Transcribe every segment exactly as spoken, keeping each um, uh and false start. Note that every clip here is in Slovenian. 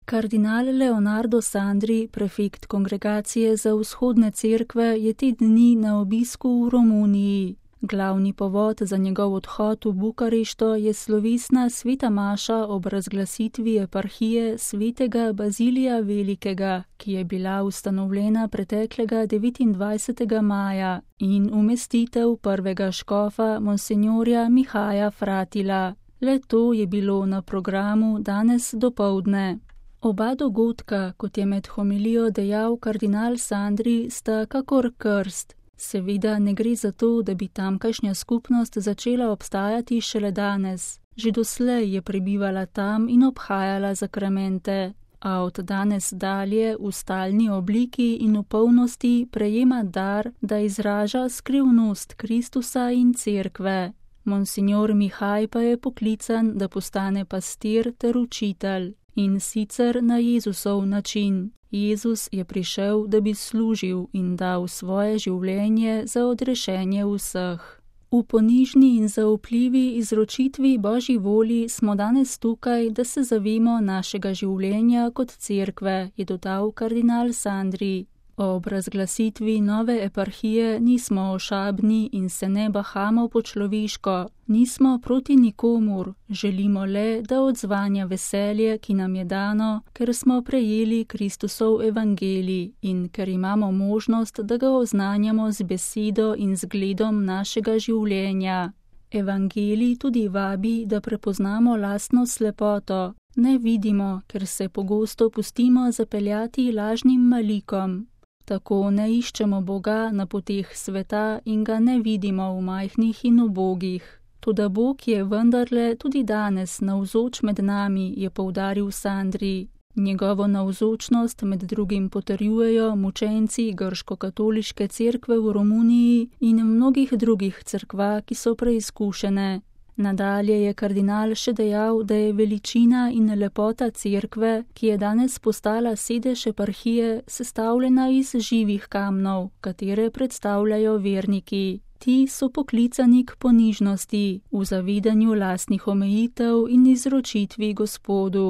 Kardinal Leonardo Sandri, prefekt Kongregacije za vzhodne cerkve, je te dni na obisku v Romuniji. Glavni povod za njegov odhod v Bukarešto je slovesna sveta maša ob razglasitvi eparhije svetega Bazilija Velikega, ki je bila ustanovljena preteklega devetindvajsetega maja, in umestitev prvega škofa monsinjorja Mihaja Fratila. Le to je bilo na programu danes dopoldne. Oba dogodka, kot je med homilijo dejal kardinal Sandri, sta kakor krst. Seveda ne gre za to, da bi tamkajšnja skupnost začela obstajati šele danes. Že doslej je prebivala tam in obhajala zakramente, a od danes dalje v stalni obliki in v polnosti prejema dar, da izraža skrivnost Kristusa in cerkve. Monsinjor Mihaj pa je poklican, da postane pastir ter učitelj. In sicer na Jezusov način. Jezus je prišel, da bi služil in dal svoje življenje za odrešenje vseh. V ponižni in zaupljivi izročitvi Božji volji smo danes tukaj, da se zavemo našega življenja kot cerkve, je dodal kardinal Sandri. Ob razglasitvi nove eparhije nismo ošabni in se ne bahamo po človeško, nismo proti nikomur, želimo le, da odzvanja veselje, ki nam je dano, ker smo prejeli Kristusov evangelij in ker imamo možnost, da ga oznanjamo z besedo in zgledom našega življenja. Evangelij tudi vabi, da prepoznamo lastno slepoto. Ne vidimo, ker se pogosto pustimo zapeljati lažnim malikom. Tako ne iščemo Boga na poteh sveta in ga ne vidimo v majhnih in ubogih. Toda Bog je vendarle tudi danes navzoč med nami, je poudaril Sandri. Njegovo navzočnost med drugim potrjujejo mučenci grško-katoliške cerkve v Romuniji in mnogih drugih cerkva, ki so preizkušene. Nadalje je kardinal še dejal, da je veličina in lepota cerkve, ki je danes postala sedež eparhije, sestavljena iz živih kamnov, katere predstavljajo verniki. Ti so poklicani k ponižnosti, v zavedanju lastnih omejitev in izročitvi Gospodu.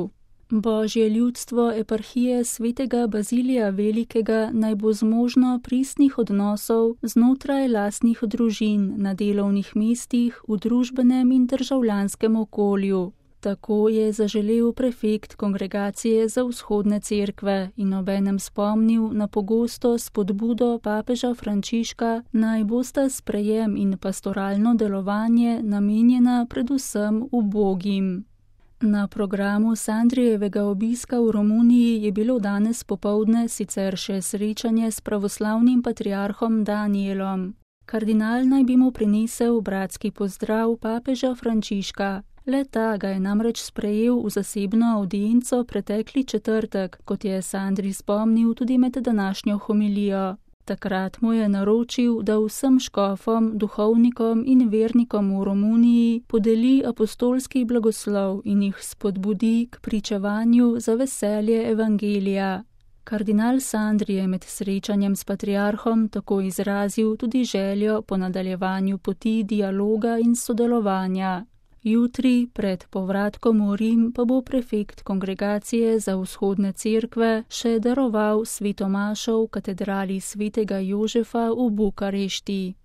Božje ljudstvo eparhije svetega Bazilija Velikega naj bo zmožno pristnih odnosov znotraj lastnih družin, na delovnih mestih, v družbenem in državljanskem okolju. Tako je zaželel prefekt Kongregacije za vzhodne cerkve in obenem spomnil na pogosto spodbudo papeža Frančiška, naj bosta sprejem in pastoralno delovanje namenjena predvsem ubogim. Na programu Sandrijevega obiska v Romuniji je bilo danes popoldne sicer še srečanje s pravoslavnim patriarhom Danielom. Kardinal naj bi mu prinesel bratski pozdrav papeža Frančiška. Le ta ga je namreč sprejel v zasebno avdienco pretekli četrtek, kot je Sandri spomnil tudi med današnjo homilijo. Takrat mu je naročil, da vsem škofom, duhovnikom in vernikom v Romuniji podeli apostolski blagoslov in jih spodbudi k pričevanju za veselje evangelija. Kardinal Sandri je med srečanjem s patriarhom tako izrazil tudi željo po nadaljevanju poti dialoga in sodelovanja. Jutri, pred povratkom v Rim, pa bo prefekt Kongregacije za vzhodne cerkve še daroval sveto mašo v katedrali svetega Jožefa v Bukarešti.